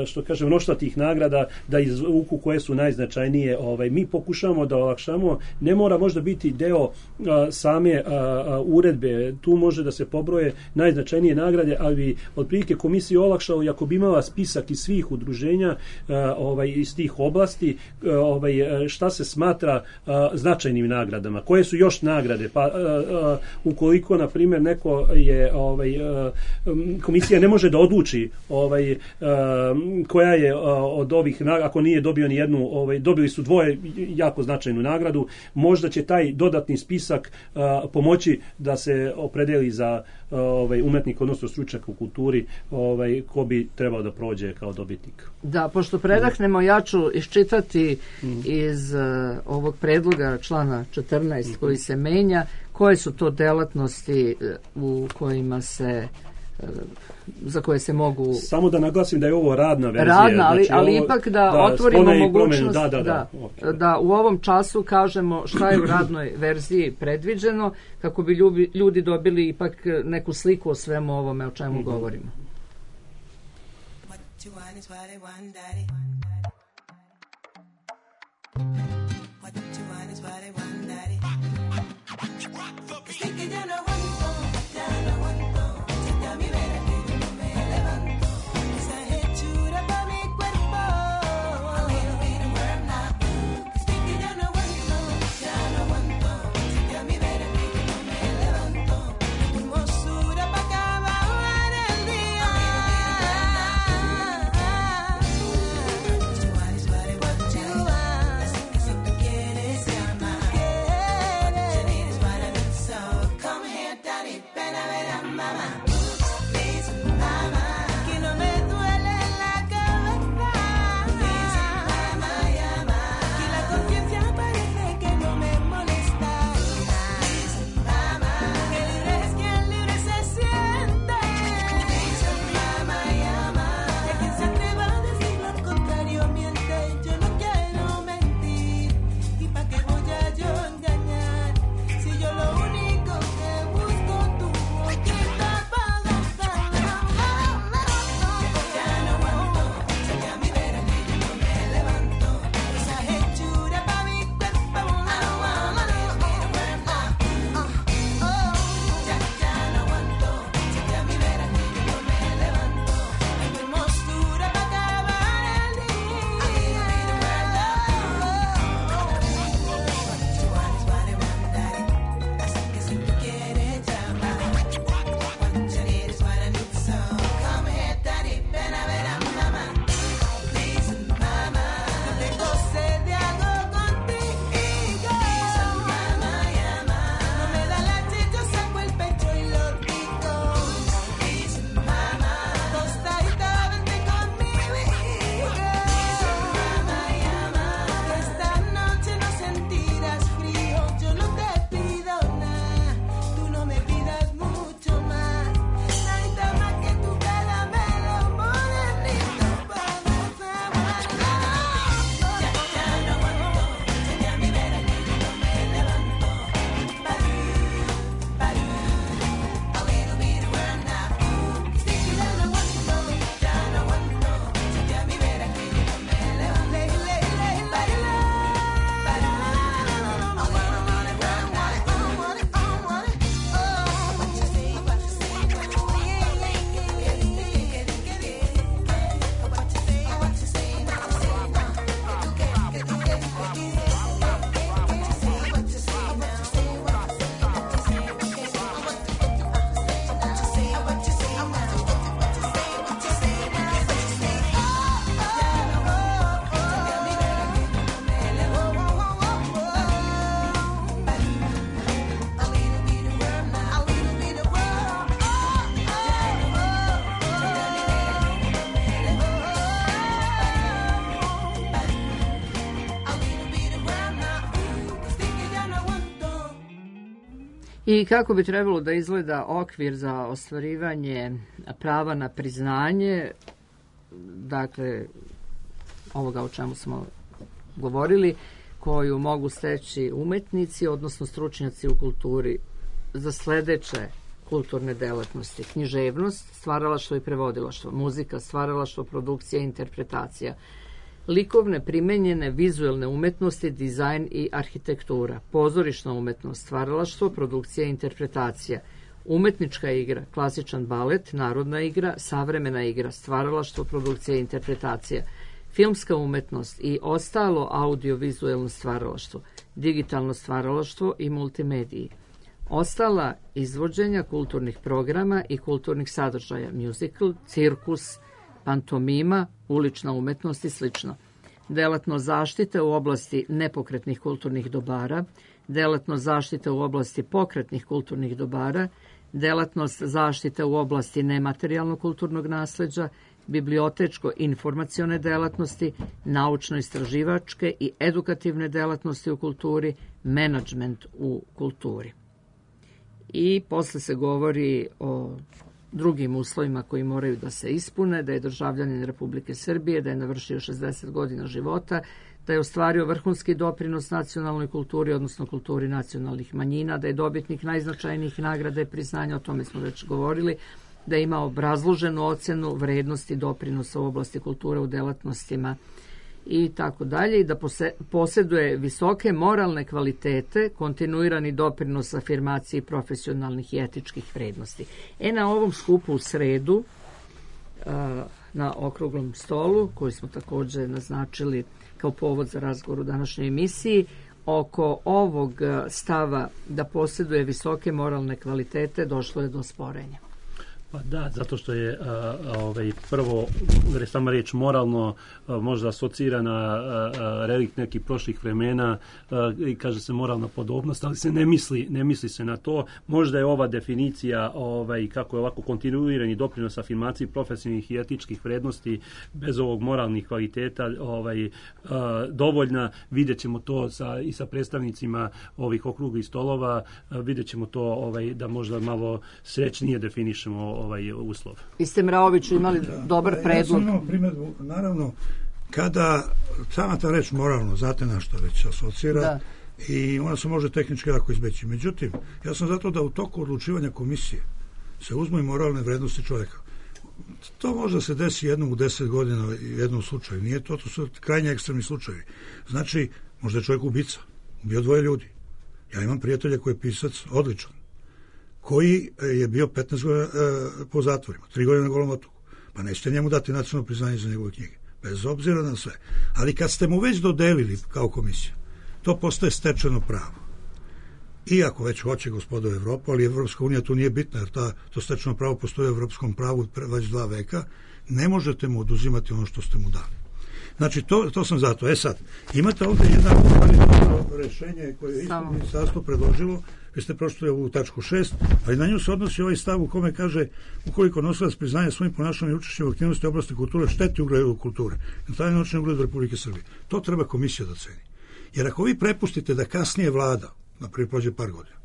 što kažem, mnoštva tih nagrada da izvuku koje su najznačajnije. Ovaj, mi pokušamo da olakšamo, ne mora možda biti deo a, same a, a, uredbe, tu može da se pobroje najznačajnije nagrade, ali bi otprilike komisija olakšala i ako bi imala spisak iz svih udruženja a, ovaj, iz tih oblasti, a, ovaj, šta se smatra a, značajnim nagradama, koje su još nagrade, pa a, a, ukoliko, na primjer, neko je ovaj, a, komisija ne može da odluči ovaj, a, koja je a, od ovih nagrada, ako nije dobio ni jednu, ovaj, dobili su dvoje jako značajnu nagradu, možda će taj dodatni spisak uh, pomoći da se opredeli za uh, ovaj, umetnik, odnosno stručnjak u kulturi, ovaj, ko bi trebao da prođe kao dobitnik. Da, pošto predahnemo, ja ću iščitati mm. iz uh, ovog predloga člana četrnaest mm-hmm. koji se menja, koje su to delatnosti uh, u kojima se za koje se mogu... Samo da naglasim da je ovo radna verzija. Radna, ali, znači, ali ovo, ipak da, da otvorimo mogućnost da, da, da, da, okay. da u ovom času kažemo šta je u radnoj verziji predviđeno, kako bi ljudi, ljudi dobili ipak neku sliku o svemu ovome o čemu mm-hmm. govorimo. I kako bi trebalo da izgleda okvir za ostvarivanje prava na priznanje, dakle, ovoga o čemu smo govorili, koju mogu steći umetnici, odnosno stručnjaci u kulturi za sledeće kulturne delatnosti: književnost, stvaralaštvo i prevodilaštvo, muzika, stvaralaštvo, produkcija i interpretacija, likovne, primenjene, vizuelne umetnosti, dizajn i arhitektura, pozorišna umetnost, stvaralaštvo, produkcija i interpretacija, umetnička igra, klasičan balet, narodna igra, savremena igra, stvaralaštvo, produkcija i interpretacija, filmska umetnost i ostalo audiovizuelno stvaralaštvo, digitalno stvaralaštvo i multimediji, ostala izvođenja kulturnih programa i kulturnih sadržaja, musical, cirkus, pantomima, ulična umetnost i sl. Delatnost zaštite u oblasti nepokretnih kulturnih dobara, delatnost zaštite u oblasti pokretnih kulturnih dobara, delatnost zaštite u oblasti nematerijalnog kulturnog nasleđa, bibliotečko-informacione delatnosti, naučno-istraživačke i edukativne delatnosti u kulturi, menadžment u kulturi. I posle se govori o drugim uslovima koji moraju da se ispune, da je državljanin Republike Srbije, da je navršio šezdeset godina života, da je ostvario vrhunski doprinos nacionalnoj kulturi, odnosno kulturi nacionalnih manjina, da je dobitnik najznačajnijih nagrada i priznanja, o tome smo već govorili, da ima obrazloženu ocenu vrednosti doprinosa u oblasti kulture u delatnostima i tako dalje, i da posjeduje visoke moralne kvalitete, kontinuirani doprinos afirmaciji profesionalnih i etičkih vrednosti. E, na ovom skupu u sredu, na okruglom stolu, koji smo također naznačili kao povod za razgovor u današnjoj emisiji, oko ovog stava da posjeduje visoke moralne kvalitete došlo je do sporenja. Pa da, zato što je a, a, ovaj, prvo, sama riječ moralno a, možda asocira na a, a, relikt nekih prošlih vremena a, i kaže se moralna podobnost, ali se ne misli, ne misli se na to. Možda je ova definicija, ovaj, kako je ovako kontinuirani doprinos afirmaciji profesionalnih i etičkih vrednosti bez ovog moralnih kvaliteta ovaj, a, dovoljna. Vidjet ćemo to sa, i sa predstavnicima ovih okruglih stolova, a, vidjet ćemo to ovaj, da možda malo srećnije definišemo ovaj uslov. Vi ste, Mraoviću, imali da, dobar predlog. Ja sam imao primjedbu, naravno, kada sama ta reč moralno, znate na što već asocira, da. I ona se može tehnički jako izbeći. Međutim, ja sam zato da u toku odlučivanja komisije se uzmu i moralne vrednosti čovjeka. To možda se desi jednom u deset godina u jednom slučaju. Nije to, to su krajnje ekstremni slučajevi. Znači, možda je čovjek ubica, ubio dvoje ljudi. Ja imam prijatelja koji je pisac, odličan, koji je bio petnaest godina e, po zatvorima, tri godine na Golom otoku. Pa nećete njemu dati nacionalno priznanje za njegove knjige, bez obzira na sve. Ali kad ste mu već dodelili kao komisija, to postaje stečeno pravo. Iako već hoće gospodo Evropa, ali Evropska unija tu nije bitna, jer ta, to stečeno pravo postoji u evropskom pravu već dva veka, ne možete mu oduzimati ono što ste mu dali. Znači, to, to sam zato. E sad, imate ovdje jedno rešenje koje je isto ministarstvo predložilo. Vi ste prošli ovu tačku šest, ali na nju se odnosi ovaj stav u kome kaže ukoliko nosilac priznanja svojim ponašanjem i učešćem u aktivnosti oblasti kulture šteti ugledu kulture, na taj način ugledu Republike Srbije. To treba komisija da ceni. Jer ako vi prepustite da kasnije vlada, naprijed prođe par godina,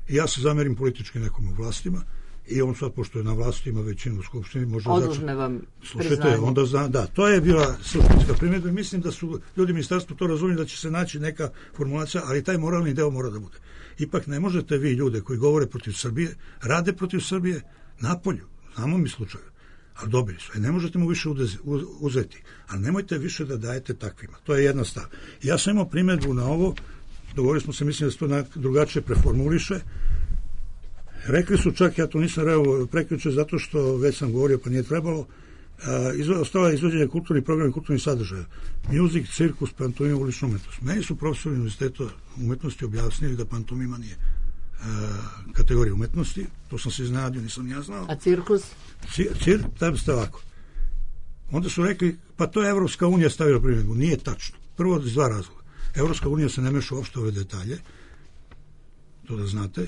i ja se zamerim politički nekom u vlastima, i on sad, pošto je na vlasti, ima većinu u skupštini, može oduzme vam slušajte, onda zna, da, to je bila suštinska primjedba. Mislim da su ljudi ministarstvo to razumjeli, da će se naći neka formulacija, ali taj moralni deo mora da bude. Ipak ne možete vi ljude koji govore protiv Srbije, rade protiv Srbije napolju, znamo mi slučaju, ali dobili su. E, ne možete mu više udezi, uzeti, ali nemojte više da dajete takvima. To je jedna stav. Ja sam imao primjedbu na ovo, dogovorili smo se, mislim da se to drugačije preformuliše. Rekli su čak, ja to nisam rekao prekjuče zato što već sam govorio pa nije trebalo, uh, ostala je izvođenje kulturnih programa i kulturnih sadržaja. Music, cirkus, pantomima, ulična umetnost. Meni su profesori univerziteta umetnosti objasnili da pantomima nije uh, kategorija umetnosti. To sam se iznenadio, nisam ja znao. A cirkus? Cir, cir, tam ste ovako. Onda su rekli, pa to je Evropska unija stavila primjedbu. Nije tačno. Prvo iz dva razloga. Evropska unija se ne meša uopšte ove detalje, to da znate.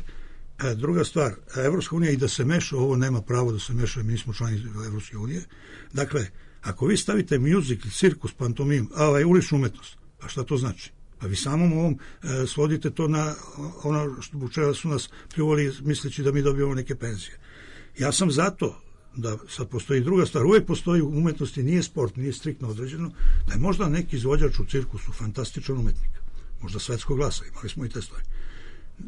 E, druga stvar, Evropska unija i da se meša, ovo nema pravo da se meša, mi smo člani Evropske unije. Dakle, ako vi stavite music, cirkus, pantomim, a ovaj, uličnu umetnost, pa šta to znači? Pa vi samom ovom e, svodite to na ono što bučeva su nas pljuvali misleći da mi dobijemo neke penzije. Ja sam zato da sad postoji druga stvar, uvijek postoji u umetnosti, nije sport, nije striktno određeno, da je možda neki izvođač u cirkusu fantastičan umetnik, možda svetskog glasa, imali smo i te stvari.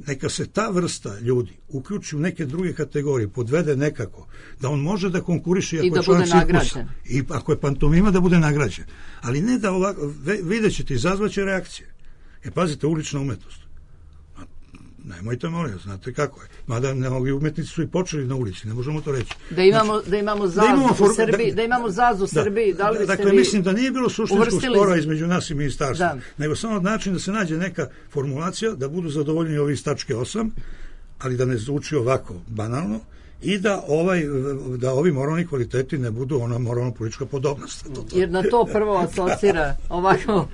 Neka se ta vrsta ljudi uključi u neke druge kategorije, podvede nekako, da on može da konkuriše i da bude nagrađen. I ako je pantomima da bude nagrađen. Ali ne da ovako, vidjet ćete, izazvaće reakcije. E, pazite, ulična umetnost. Nemojte, molim, znate kako je. Mada mnogi umetnici su i počeli na ulici, ne možemo to reći. Da imamo, znači, da imamo zazu da imamo for, u Srbiji, da, da imamo zazu u da, Srbiji, da li biste dakle, vi mislim da nije bilo suštinskog spora između nas i ministarstva, da. Nego samo način da se nađe neka formulacija, da budu zadovoljni ovi iz tačke osam, ali da ne zvuči ovako banalno, i da ovaj da ovi moralni kvaliteti ne budu ona moralno politička podobnost. To, to. Jer na to prvo asocira ovako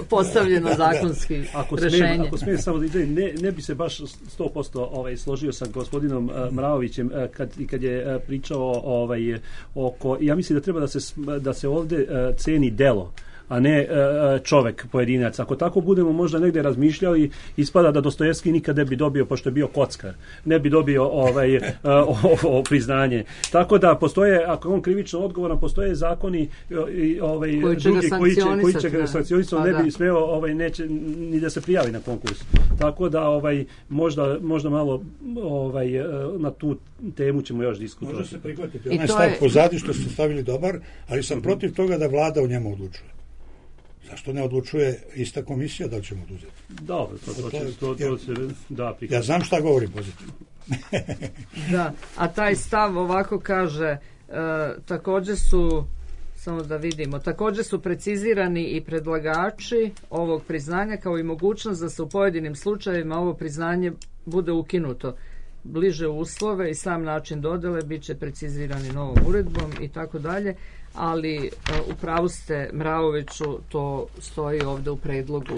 postavljeno zakonski ako rešenje. Smijem, ako smijem samo da ide, ne, ne bi se baš sto posto ovaj, složio sa gospodinom uh, Mraovićem uh, kad, kad je uh, pričao ovaj, oko, ja mislim da treba da se, da se ovde uh, ceni delo, a ne čovek, pojedinac. Ako tako budemo možda negde razmišljali, ispada da Dostojevski nikad ne bi dobio, pošto je bio kockar, ne bi dobio ovaj, ovo priznanje. Tako da postoje, ako on krivično odgovoran, postoje zakoni i ovaj, koji će drugi koji će, koji će ga sankcionisati, ne bi smeo ovaj, neće, ni da se prijavi na konkurs. Tako da ovaj, možda, možda malo ovaj, na tu temu ćemo još diskutovati. Može se prihvatiti. Onaj stav je... pozadi što ste stavili dobar, ali sam protiv toga da vlada o njemu odlučuje. Zašto ne odlučuje ista komisija da li ćemo oduzeti? Dobro, to, to, to, to, to se da prihvatiti. Ja znam šta govorim pozitivno. Da, a taj stav ovako kaže, e, također su, samo da vidimo, također su precizirani i predlagači ovog priznanja kao i mogućnost da se u pojedinim slučajevima ovo priznanje bude ukinuto. Bliže uslove i sam način dodele bit će precizirani novom uredbom i tako dalje, ali u pravu ste, Mraoviću, to stoji ovdje u predlogu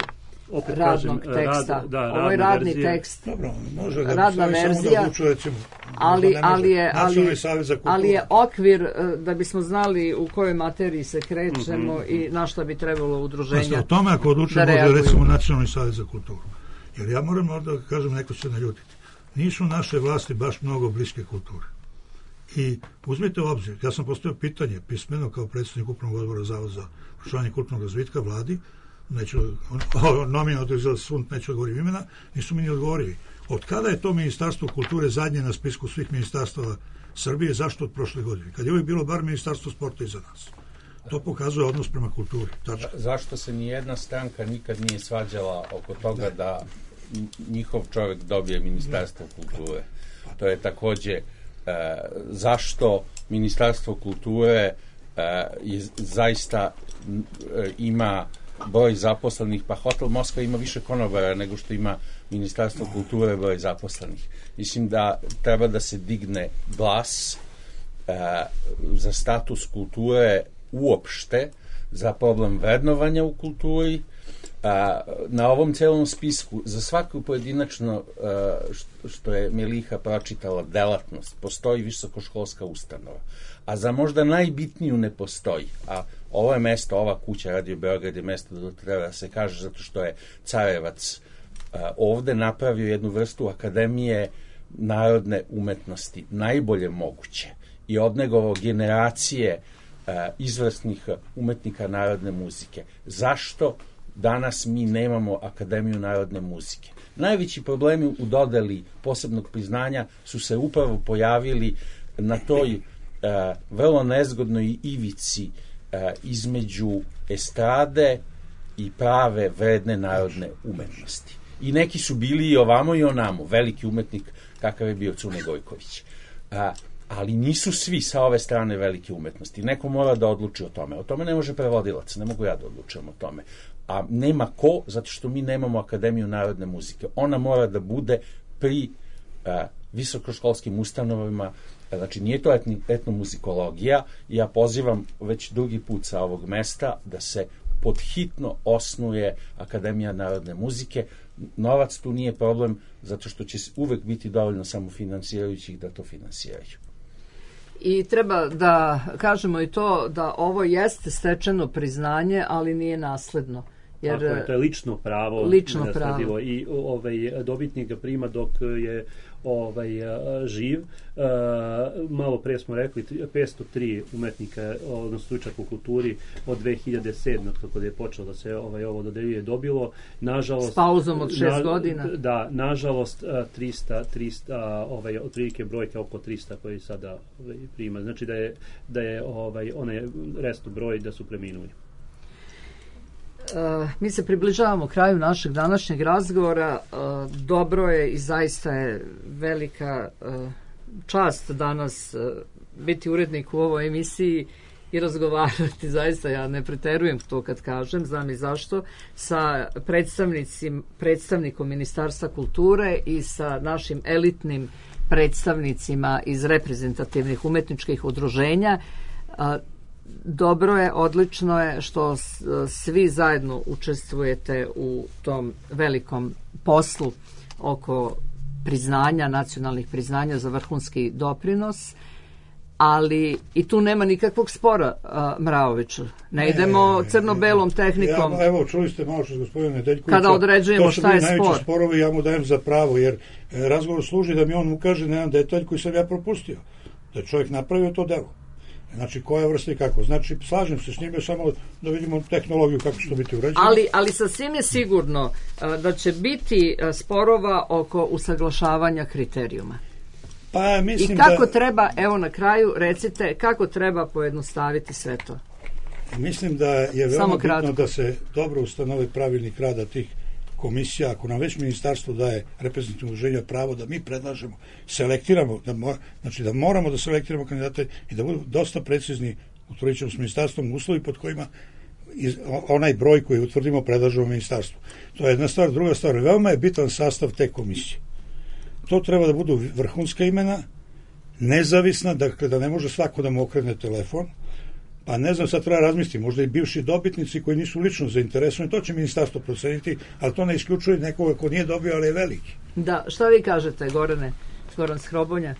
opet radnog kažem, teksta. Rad, da, ovo je radni verzija. Tekst. Dobro, može da radna verzija, da odlučuje, recimo, ali, ali, je, ali, ali je kulturu. okvir da bismo znali u kojoj materiji se krećemo mm-hmm. i na šta bi trebalo udruženja da reaguju. O tome ako odlučuje može recimo Nacionalni savez za kulturu. Jer ja moram da kažem, neko će naljutiti. Nisu naše vlasti baš mnogo bliske kulture. I uzmite u obzir, ja sam postavio pitanje pismeno kao predsjednik Upravnog odbora Zavoda za proučavanje kulturnog razvitka vladi, neću, nominalno održala sund, neću odgovoriti imena, nisu mi ni odgovorili. Od kada je to Ministarstvo kulture zadnje na spisku svih ministarstava Srbije, zašto od prošle godine? Kad je uvijek bilo bar Ministarstvo sporta iza nas. To pokazuje odnos prema kulturi. Tačka. Zašto se ni jedna stranka nikad nije svađala oko toga da, da njihov čovjek dobije Ministarstvo kulture? To je takođe e, zašto Ministarstvo kulture e, je, zaista e, ima broj zaposlenih, pa Hotel Moskva ima više konobara nego što ima Ministarstvo kulture broj zaposlenih. Mislim da treba da se digne glas e, za status kulture uopšte, za problem vrednovanja u kulturi. A, na ovom celom spisku za svaku pojedinačno a, što je Miliha pročitala delatnost postoji visokoškolska ustanova, a za možda najbitniju ne postoji, a ovo je mesto, ova kuća Radio Beograd je mesto da treba da se kaže zato što je Carevac a, ovde napravio jednu vrstu akademije narodne umetnosti najbolje moguće i odnegovao generacije a, izvrsnih umetnika narodne muzike. Zašto danas mi nemamo Akademiju narodne muzike? Najveći problemi u dodeli posebnog priznanja su se upravo pojavili na toj uh, vrlo nezgodnoj ivici uh, između estrade i prave vredne narodne umetnosti. I neki su bili i ovamo i onamo, veliki umetnik kakav je bio Cune Gojković. Uh, ali nisu svi sa ove strane velike umetnosti. Neko mora da odluči o tome. O tome ne može prevodilac, ne mogu ja da odlučujem o tome. A nema ko, zato što mi nemamo Akademiju narodne muzike. Ona mora da bude pri a, visokoškolskim ustanovama, znači nije to etni, etnomuzikologija, i ja pozivam već drugi put sa ovog mesta da se podhitno osnuje Akademija narodne muzike. Novac tu nije problem, zato što će uvek biti dovoljno samofinansirajućih da to finansiraju. I treba da kažemo i to da ovo jeste stečeno priznanje, ali nije nasledno. Jer tako je, to je lično pravo, lično pravo. I ovaj dobitnik ga prima dok je ovaj živ. Uh, malo pre smo rekli petsto tri umetnika, odnosno stručnjaka u kulturi od dve hiljade sedme od kako je počelo da se ovaj ovo dodeljuje dobilo. Nažalost s pauzom od šest na, godina. Da, nažalost trista trista ovaj otprilike brojke oko trista koji sada ovaj, prima. Znači da je da je ovaj onaj restu broj da su preminuli. Uh, mi se približavamo kraju našeg današnjeg razgovora. Uh, dobro je i zaista je velika uh, čast danas uh, biti urednik u ovoj emisiji i razgovarati, zaista ja ne preterujem to kad kažem, znam i zašto, sa predstavnicim, predstavnikom Ministarstva kulture i sa našim elitnim predstavnicima iz reprezentativnih umetničkih udruženja. Uh, Dobro je, odlično je što svi zajedno učestvujete u tom velikom poslu oko priznanja, nacionalnih priznanja za vrhunski doprinos. ali i tu nema nikakvog spora, a, Mraoviću. Ne idemo ne, crno-belom tehnikom. Ja, evo, čuli ste malo što gospodine Nedeljkovića. Kada određujemo šta je spor. To su sporovi, ja mu dajem za pravo, jer e, razgovor služi da mi on ukaže na jedan detalj koji sam ja propustio. Da je čovjek napravio to delo. Znači, koja vrsta i kako. Znači, slažem se s njime, samo da vidimo tehnologiju kako će to biti urađeno. Ali, ali sasvim je sigurno a, da će biti a, sporova oko usaglašavanja kriterijuma. Pa, mislim I kako da, treba, evo na kraju, recite, kako treba pojednostaviti sve to? Mislim da je veoma bitno da se dobro ustanovi pravilnik rada tih komisija. Ako nam već ministarstvo daje reprezentativno udruženje pravo da mi predlažemo, selektiramo, da mo, znači da moramo da selektiramo kandidate i da budu dosta precizni, utvrdit ćemo s ministarstvom uslovi pod kojima iz, onaj broj koji utvrdimo predlažemo ministarstvu. To je jedna stvar. Druga stvar, veoma je bitan sastav te komisije. To treba da budu vrhunska imena, nezavisna, dakle da ne može svako da mu okrene telefon, pa ne znam, sad treba razmisliti, možda i bivši dobitnici koji nisu lično zainteresovani, to će ministarstvo proceniti, ali to ne isključuje nekoga ko nije dobio, ali je veliki. Da, šta vi kažete, Gorane, Goran Skrobonja?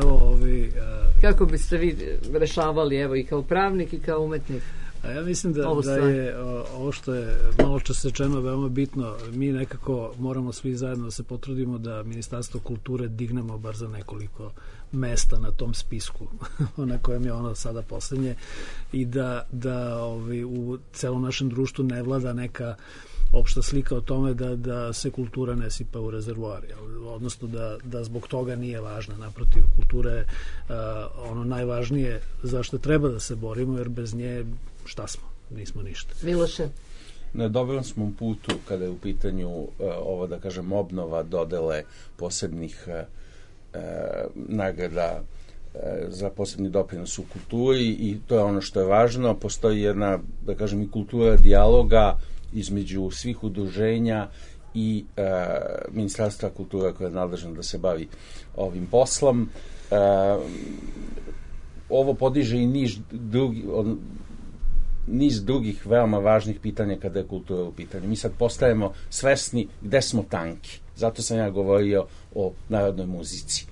Evo, ovi... Uh... Kako biste vi rešavali, evo, i kao pravnik i kao umetnik? A ja mislim da, da je o, ovo što je malo čas rečeno veoma bitno. Mi nekako moramo svi zajedno da se potrudimo da Ministarstvo kulture dignemo bar za nekoliko mesta na tom spisku na kojem je ono sada poslednje i da, da ovi, u celom našem društvu ne vlada neka opšta slika o tome da, da se kultura ne sipa u rezervoar, odnosno da, da zbog toga nije važna. Naprotiv, kultura je uh, ono najvažnije zašto treba da se borimo, jer bez nje šta smo? Nismo ništa. Miloše? Na dobrom smo putu kada je u pitanju uh, ovo, da kažem, obnova dodele posebnih uh, uh, nagrada uh, za posebni doprinos u kulturi i to je ono što je važno. Postoji jedna, da kažem, i kultura dijaloga između svih udruženja i uh, Ministarstva kulture koje je nadležno da se bavi ovim poslom. Uh, ovo podiže i niž drugi, on, niz drugih veoma važnih pitanja kada je kultura u pitanju. Mi sad postajemo svesni gde smo tanki. Zato sam ja govorio o narodnoj muzici.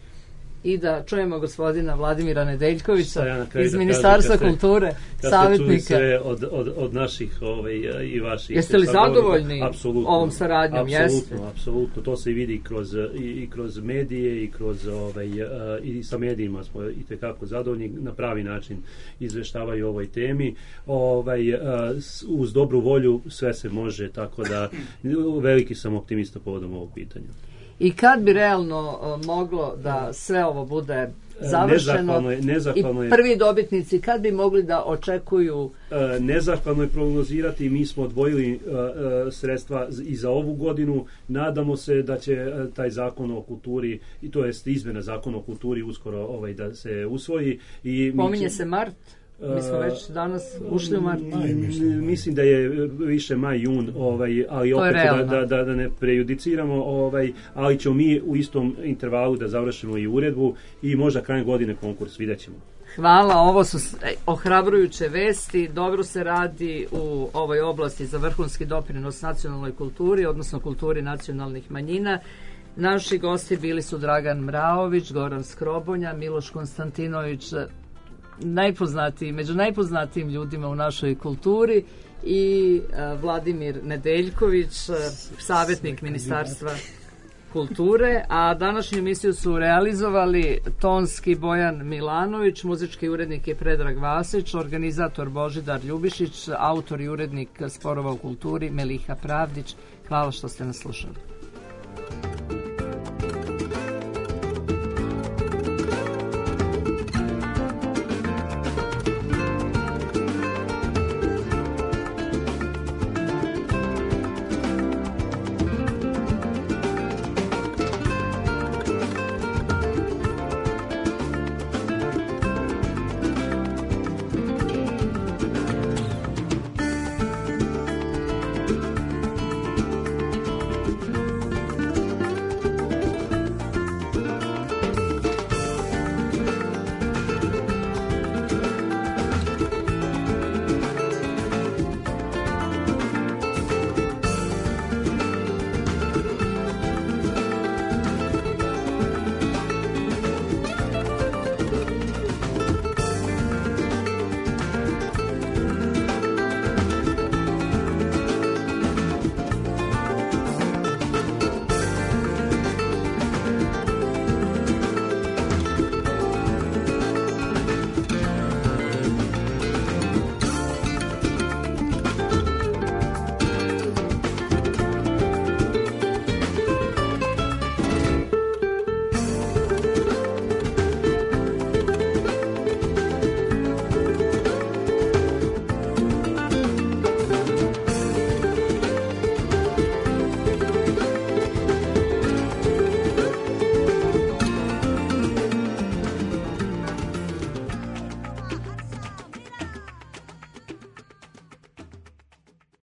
I da čujemo gospodina Vladimira Nedeljkovića ja iz Ministarstva kažem, kulture, savjetnika. Sve od, od, od naših ovaj, i vaših. Jeste li zadovoljni ovom saradnjom? Apsolutno, apsolutno. To se vidi kroz, i, i kroz medije i kroz ovaj, i sa medijima smo i tekako zadovoljni, na pravi način izveštavaju o ovoj temi. Ovaj, uz dobru volju sve se može, tako da veliki sam optimista povodom ovog pitanja. I kad bi realno uh, moglo da sve ovo bude završeno nezahvalno je, nezahvalno i prvi dobitnici kad bi mogli da očekuju? Uh, nezahvalno je prognozirati, mi smo odvojili uh, uh, sredstva i za ovu godinu, nadamo se da će uh, taj zakon o kulturi, i to jest izmena zakona o kulturi uskoro ovaj, da se usvoji. I pominje mi, se mart? Mi smo već danas ušli u mart. Maj, mislim, mislim da je više maj, jun, ovaj, ali opet da, da, da, da ne prejudiciramo, ovaj, ali ćemo mi u istom intervalu da završimo i uredbu i možda krajem godine konkurs, vidjet ćemo. Hvala, ovo su ohrabrujuće vesti, dobro se radi u ovoj oblasti za vrhunski doprinos nacionalnoj kulturi, odnosno kulturi nacionalnih manjina. Naši gosti bili su Dragan Mraović, Goran Skrobonja, Miloš Konstantinović, najpoznatiji, među najpoznatijim ljudima u našoj kulturi, i uh, Vladimir Nedeljković, uh, savjetnik Ministarstva kulture, a današnju emisiju su realizovali tonski Bojan Milanović, muzički urednik je Predrag Vasić, organizator Božidar Ljubišić, autor i urednik Sporova u kulturi Meliha Pravdić. Hvala što ste nas slušali.